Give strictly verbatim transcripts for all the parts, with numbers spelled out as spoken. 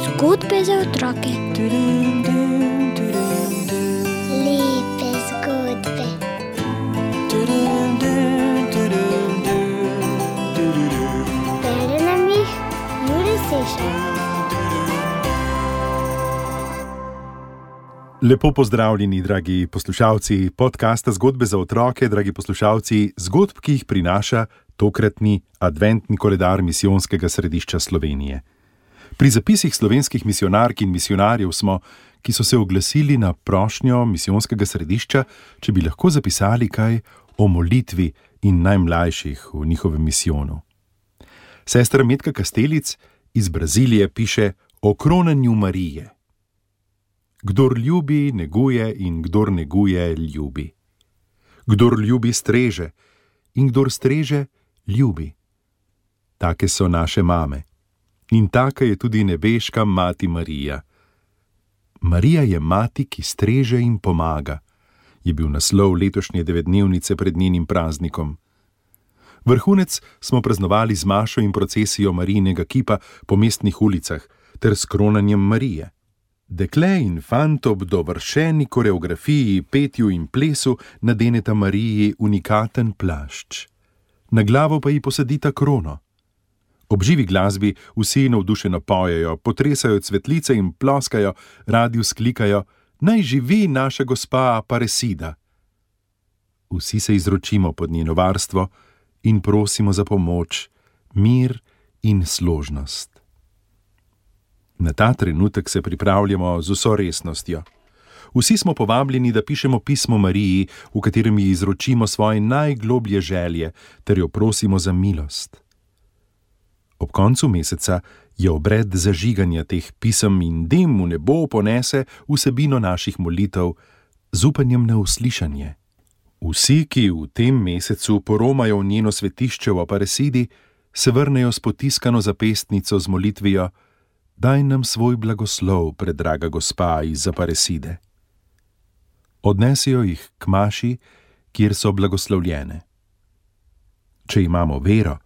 Zgodbe za otroke. Lepe zgodbe. Bere nam jih Jure Sešar. Lepo pozdravljeni, dragi poslušalci podcasta Zgodbe za otroke, dragi poslušalci zgodb, ki jih prinaša tokratni adventni koledar Misijonskega središča Slovenije. Pri zapisih slovenskih misijonark in misijonarjev smo, ki so se oglasili na prošnjo Misijonskega središča, če bi lahko zapisali kaj o molitvi in najmlajših v njihovem misijonu. Sestra Metka Kastelic iz Brazilije piše o kronanju Marije. Kdor ljubi, neguje in kdor neguje, ljubi. Kdor ljubi, streže in kdor streže, ljubi. Take so naše mame. In taka je tudi nebeška mati Marija. Marija je mati, ki streže in pomaga, je bil naslov letošnje devetdnevnice pred njenim praznikom. Vrhunec smo praznovali z mašo in procesijo Marijinega kipa po mestnih ulicah ter s kronanjem Marije. Dekle in fant ob dovršeni koreografiji, petju in plesu nadeneta Mariji unikaten plašč. Na glavo pa ji posadita krono. Ob živi glasbi vsi navdušeno pojejo, potresajo cvetlice in ploskajo, radi vzklikajo: naj živi naša gospa Aparecida. Vsi se izročimo pod njeno varstvo in prosimo za pomoč, mir in složnost. Na ta trenutek se pripravljamo z vso resnostjo. Vsi smo povabljeni, da pišemo pismo Mariji, v katerem ji izročimo svoje najgloblje želje ter jo prosimo za milost. Ob koncu meseca je obred zažiganja teh pisem in dim v nebo ponese vsebino naših molitev z upanjem na uslišanje. Vsi, ki v tem mesecu poromajo v njeno svetišče v Aparecidi, se vrnejo s potiskano zapestnico z molitvijo: daj nam svoj blagoslov, predraga gospa iz Aparecide. Odnesijo jih k maši, kjer so blagoslovljene. Če imamo vero,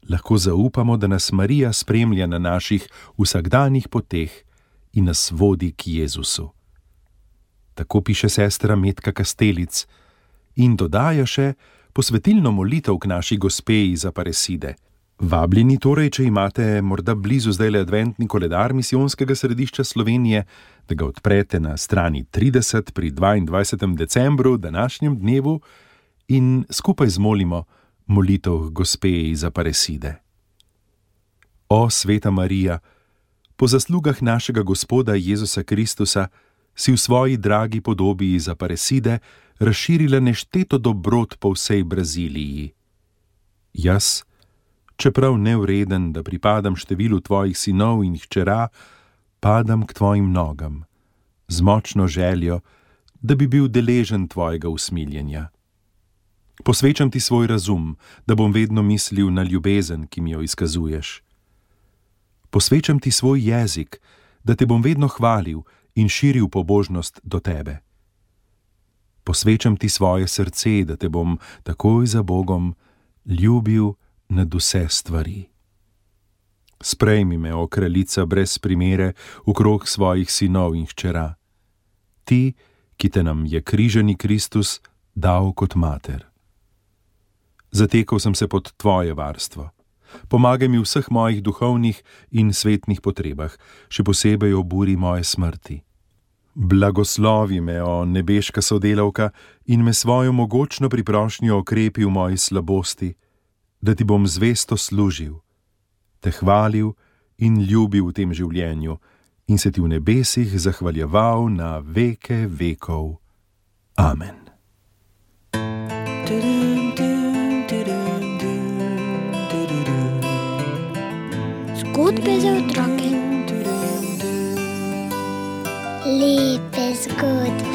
lahko zaupamo, da nas Marija spremlja na naših vsakdanjih poteh in nas vodi k Jezusu. Tako piše sestra Metka Kastelic in dodaja še posvetilno molitev k naši gospe iz Aparecide. Vabljeni torej, če imate morda blizu zdajle adventni koledar Misijonskega središča Slovenije, da ga odprete na strani trideset pri dvaindvajsetem decembru, današnjem dnevu, in skupaj zmolimo molitev gospe iz Aparecide. O, sveta Marija, po zaslugah našega Gospoda Jezusa Kristusa si v svoji dragi podobi iz Aparecide razširila nešteto dobrot po vsej Braziliji. Jaz, čeprav nevreden, da pripadam številu tvojih sinov in hčera, padam k tvojim nogam, z močno željo, da bi bil deležen tvojega usmiljenja. Posvečam ti svoj razum, da bom vedno mislil na ljubezen, ki mi jo izkazuješ. Posvečam ti svoj jezik, da te bom vedno hvalil in širil pobožnost do tebe. Posvečam ti svoje srce, da te bom takoj za Bogom ljubil nad vse stvari. Sprejmi me, o kraljica brez primere, okrog svojih sinov in hčera. Ti, ki te nam je križani Kristus dal kot mater. Zatekal sem se pod tvoje varstvo. Pomagaj mi v vseh mojih duhovnih in svetnih potrebah, še posebej ob uri moje smrti. Blagoslovi me, o nebeška sodelavka, in me svojo mogočno priprošnjo okrepi v moji slabosti, da ti bom zvesto služil, te hvalil in ljubil v tem življenju in se ti v nebesih zahvaljeval na veke vekov. Amen. Zgodbe za otroke. Lepe zgodbe.